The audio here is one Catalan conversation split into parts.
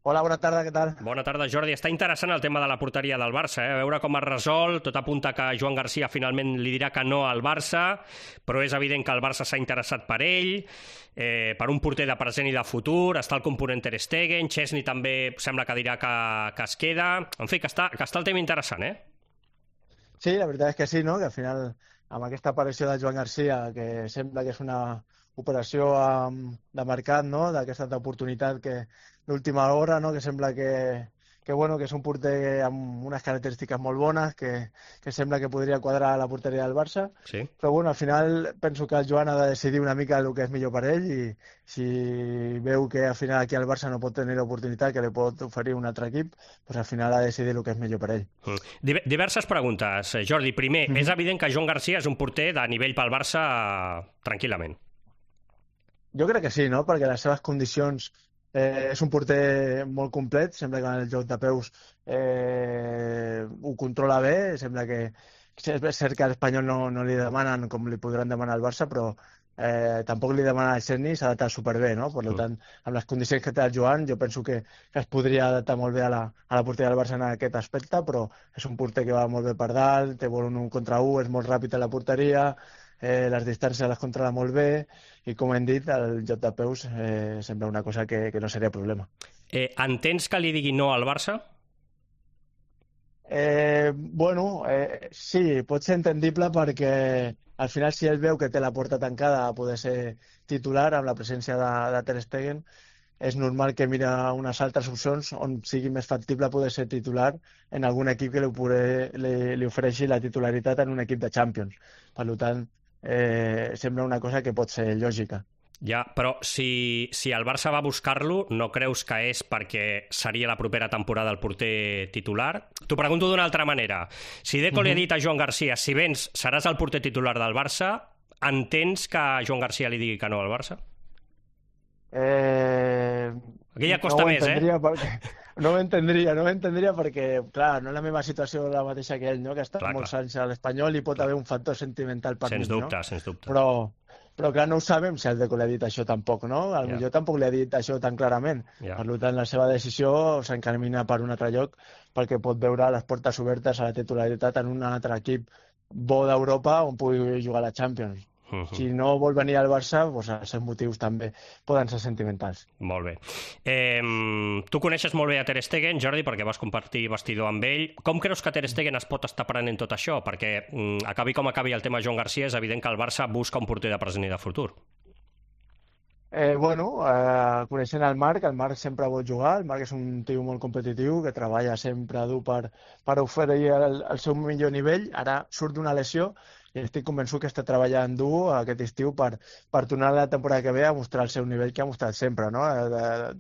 Hola, bona tarda, què tal? Bona tarda, Jordi. Està interessant el tema de la porteria del Barça, A veure com es resol. Tot apunta que Joan Garcia finalment li dirà que no al Barça, però és evident que el Barça s'ha interessat per ell, per un porter de present i de futur. Està el component Ter Stegen, Chesney també sembla que dirà que es queda. En fi, que està el tema interessant, Sí, la veritat és que sí, no? Que al final, amb aquesta aparició de Joan Garcia, que sembla que és una operació de mercat, no? D'aquesta oportunitat que d'última hora, no? Que sembla bueno, que és un porter amb unes característiques molt bones, que sembla que podria quadrar a la porteria del Barça. Sí. Però bueno, al final penso que el Joan ha de decidir una mica el que és millor per ell i si veu que al final aquí al Barça no pot tenir l'oportunitat que li pot oferir un altre equip, doncs al final ha de decidir el que és millor per ell. Diverses preguntes, Jordi. Primer, és evident que Joan Garcia és un porter de nivell pel Barça tranquil·lament. Jo crec que sí, no? Perquè les seves condicions és un porter molt complet, sembla que el joc de peus ho controla bé, sembla que és cert que a l'Espanyol no li demanen com li podran demanar al Barça, però tampoc li demanen al Chesney, s'ha adaptat superbé, no? Per tant, amb les condicions que té el Joan, jo penso que es podria adaptar molt bé a la porteria del Barça en aquest aspecte, però és un porter que va molt bé per dalt, té bon 1 contra 1, és molt ràpid a la porteria, les distàncies les controla molt bé i, com hem dit, el joc de peus sembla una cosa que no seria problema. Entens que li digui no al Barça? Sí, pot ser entendible perquè al final si ell veu que té la porta tancada a poder ser titular amb la presència de Ter Stegen, és normal que mira unes altres opcions on sigui més factible poder ser titular en algun equip que li ofereixi la titularitat en un equip de Champions. Per tant, sembla una cosa que pot ser lògica. Ja, però si el Barça va buscar-lo, no creus que és perquè seria la propera temporada el porter titular? T'ho pregunto d'una altra manera. Si Deco li ha dit a Joan Garcia, si vens seràs el porter titular del Barça, entens que Joan Garcia li digui que no al Barça? Aquí ja costa més, No ho entendria perquè, clar, no és la meva situació la mateixa que ell, no? Que ha estat molts anys a l'Espanyol i pot haver un factor sentimental per mi, no? Sens dubte. Però clar, no ho sabem si el Deco li ha dit això tampoc, no? Potser tampoc li ha dit això tan clarament. Per tant, la seva decisió s'encamina per un altre lloc perquè pot veure les portes obertes a la titularitat en un altre equip bo d'Europa on pugui jugar a la Champions. Si no vol venir al Barça, doncs els seus motius també poden ser sentimentals. Molt bé. Tu coneixes molt bé a Ter Stegen, Jordi, perquè vas compartir vestidor amb ell. Com creus que Ter Stegen es pot estar prenent tot això? Perquè acabi com acabi el tema Joan Garcia, és evident que el Barça busca un porter de present i de futur. Coneixent el Marc sempre vol jugar, el Marc és un tio molt competitiu que treballa sempre dur per oferir el seu millor nivell, ara surt d'una lesió i estic convençut que està treballant dur aquest estiu per tornar la temporada que ve a mostrar el seu nivell que ha mostrat sempre, no?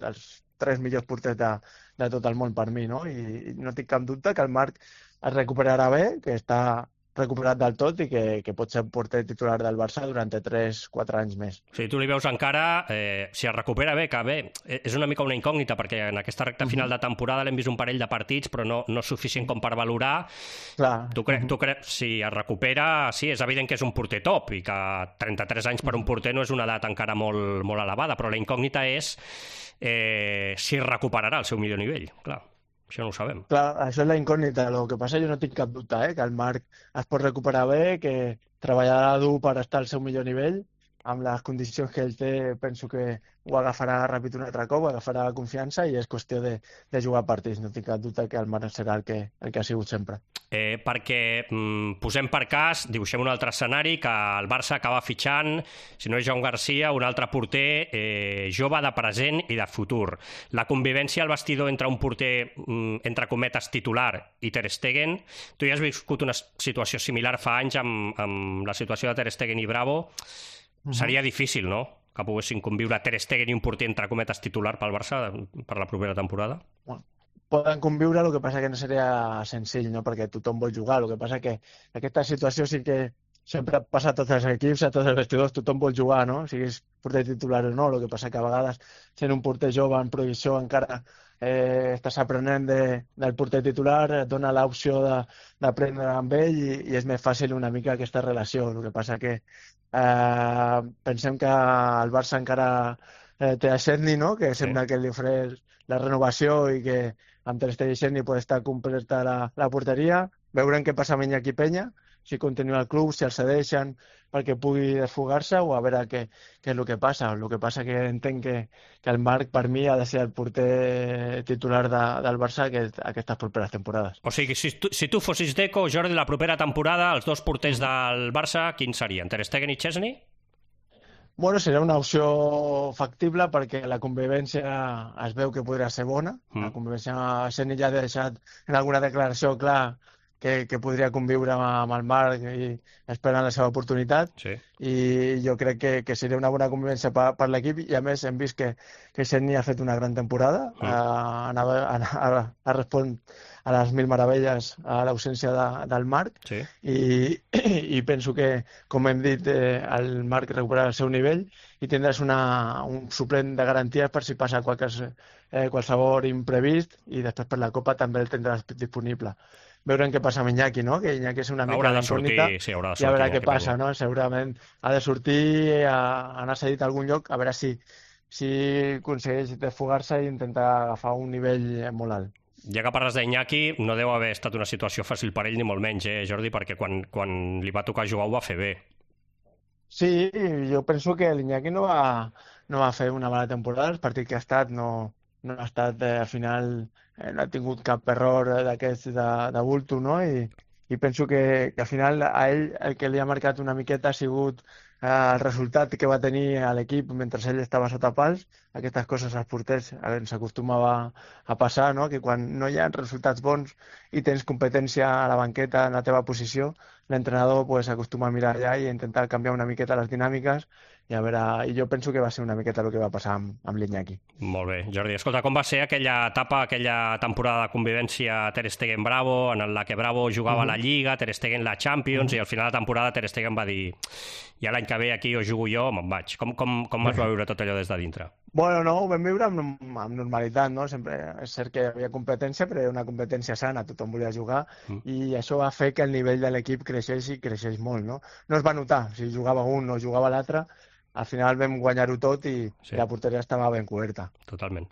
Dels 3 millors porters de tot el món per mi, no? I no tinc cap dubte que el Marc es recuperarà bé, que està recuperat del tot i que pot ser porter titular del Barça durant 3-4 anys més. O sigui, tu li veus encara, si es recupera bé, que bé, és una mica una incògnita, perquè en aquesta recta final de temporada l'hem vist un parell de partits, però no suficient com per valorar. Clar. Tu creus, si es recupera, sí, és evident que és un porter top i que 33 anys per un porter no és una edat encara molt, molt elevada, però la incògnita és si recuperarà el seu millor nivell, clar. Això no ho sabem. Clar, això és la incògnita. El que passa, jo no tinc cap dubte, que el Marc es pot recuperar bé, que treballarà dur per estar al seu millor nivell. Amb les condicions que ell té, penso que ho agafarà ràpid un altre cop, agafarà confiança i és qüestió de jugar partits. No tinc cap dubte que el Marc serà el que ha sigut sempre. Perquè posem per cas, dibuixem un altre escenari, que el Barça acaba fitxant, si no és Joan Garcia, un altre porter jove de present i de futur. La convivència al vestidor entre un porter, entre cometes, titular i Ter Stegen, tu ja has viscut una situació similar fa anys amb la situació de Ter Stegen i Bravo. Seria difícil, no?, que poguessin conviure Ter Stegen i un porter, entre cometes, titular pel Barça per la propera temporada? Poden conviure, el que passa que no seria senzill, no? Perquè tothom vol jugar. El que passa que aquesta situació sí que sempre passa a tots els equips, a tots els vestidors, tothom vol jugar, no? Siguis porter titular o no. El que passa que a vegades, sent un porter jove en progressió, encara estàs aprenent del porter titular, et dona l'opció d'aprendre amb ell i és més fàcil una mica aquesta relació. El que passa que pensem que el Barça encara té a Szczęsny, no? Que Sí. sembla que li ofereix la renovació i que amb Ter Stegen i Szczęsny pot estar completa la porteria. Veurem què passa amb Iñaki Peña, si continua el club, si el cedeixen perquè pugui desfogar-se o a veure què és el que passa. El que passa que entenc que el Marc, per mi, ha de ser el porter titular del Barça aquestes properes temporades. O sigui, si tu fossis Deco, Jordi, la propera temporada, els dos porters del Barça, quins serien? Ter Stegen i Szczęsny? Bueno, seria una opció factible perquè la convivència es veu que podria ser bona. La convivència, Szczęsny ja ha deixat en alguna declaració clar que podria conviure amb el Marc i esperant la seva oportunitat. Sí. I jo crec que seria una bona convivència per l'equip i a més hem vist que Szczęsny ha fet una gran temporada, ha respon a les mil meravelles a l'ausència del Marc. Sí. I penso que, com hem dit, el Marc recuperarà el seu nivell i tindràs un suplent de garanties per si passa qualsevol imprevist i després per la Copa també el tindràs disponible. Veurem què passa amb Iñaki, no? Que Iñaki és una mica d'incògnita sí, haurà de sortir, i a veure què passa, no? Segurament ha de sortir, anar cedit a algun lloc, a veure si aconsegueix desfogar-se i intentar agafar un nivell molt alt. Ja que parles d'Iñaki, no deu haver estat una situació fàcil per ell, ni molt menys, Jordi, perquè quan li va tocar jugar ho va fer bé. Sí, jo penso que l'Iñaki no va fer una mala temporada, el partit que ha estat no ha estat, al final no ha tingut cap error d'aquests de bulto, no? I penso que al final a ell el que li ha marcat una miqueta ha sigut el resultat que va tenir a l'equip mentre ell estava sota pals. Aquestes coses als porters ens acostumava a passar, no? Que quan no hi ha resultats bons i tens competència a la banqueta en la teva posició, l'entrenador acostuma a mirar allà i intentar canviar una miqueta les dinàmiques i a veure, i jo penso que va ser una miqueta el que va passar amb l'Iñaki. Molt bé. Jordi, escolta, com va ser aquella etapa, aquella temporada de convivència Ter Stegen-Bravo, en la que Bravo jugava a la Lliga, Ter Stegen la Champions, i al final de temporada Ter Stegen va dir ja l'any que ve aquí o jugo jo o me'n vaig. Com es va viure tot allò des de dintre? Bueno, no, ho vam viure amb normalitat, no? Sempre és cert que hi havia competència, però era una competència sana, tothom volia jugar, i això va fer que el nivell de l'equip creixés i creixés molt, no? No es va notar si jugava un o jugava l'altre, al final vam guanyar-ho tot i la porteria estava ben coberta. Totalment.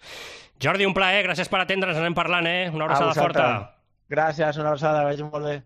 Jordi, un plaer, gràcies per atendre'ns, anem parlant, Una abraçada forta. Gràcies, una abraçada, vagi molt bé.